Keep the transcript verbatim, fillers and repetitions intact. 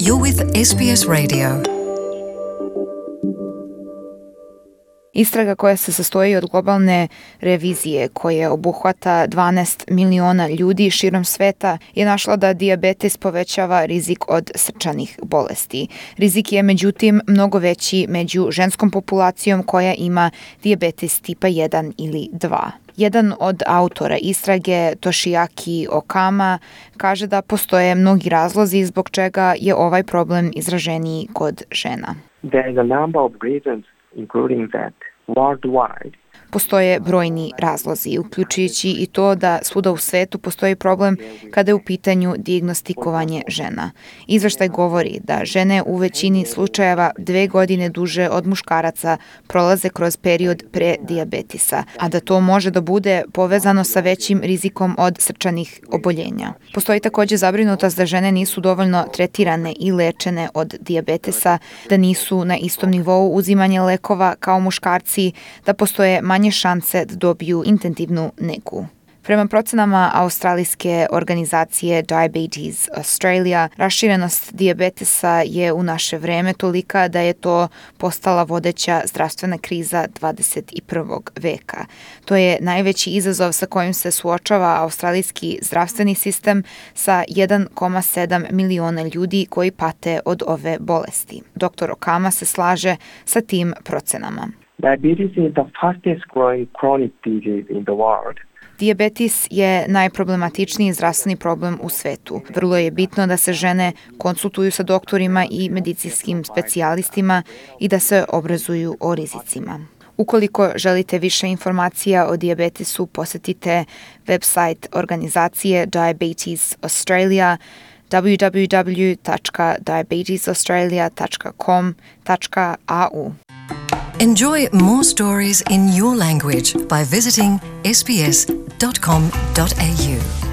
You're with S B S Radio. Istraga koja se sastoji od globalne revizije koja obuhvata dvanaest miliona ljudi širom sveta je našla da dijabetes povećava rizik od srčanih bolesti. Rizik je međutim mnogo veći među ženskom populacijom koja ima dijabetes tipa jedan ili dva. Jedan od autora istrage, Toshiaki Okama, kaže da postoje mnogi razlozi zbog čega je ovaj problem izraženiji kod žena. There is a number of reasons, including that worldwide. Postoje brojni razlozi, uključujući i to da svuda u svetu postoji problem kada je u pitanju dijagnostikovanje žena. Izveštaj govori da žene u većini slučajeva dve godine duže od muškaraca prolaze kroz period pre dijabetisa, a da to može da bude povezano sa većim rizikom od srčanih oboljenja. Postoji također zabrinutost da žene nisu dovoljno tretirane i lečene od dijabetesa, da nisu na istom nivou uzimanja lekova kao muškarci, da postoje manje šanse da dobiju intenzivnu negu. Prema procenama australijske organizacije Diabetes Australia, raširenost dijabetesa je u naše vreme tolika da je to postala vodeća zdravstvena kriza dvadeset prvog veka. To je najveći izazov sa kojim se suočava australijski zdravstveni sistem sa jedan zarez sedam miliona ljudi koji pate od ove bolesti. doktor Okama se slaže sa tim procenama. Diabetes is the fastest growing chronic disease in the world. Dijabetes je najproblematičniji zdravstveni problem u svetu. Vrlo je bitno da se žene konsultuju sa doktorima i medicinskim specijalistima i da se obrazuju o rizicima. Ukoliko želite više informacija o dijabetesu, posjetite website organizacije Diabetes Australia w w w tačka diabetes australia tačka com tačka a u. Enjoy more stories in your language by visiting s b s dot com dot a u.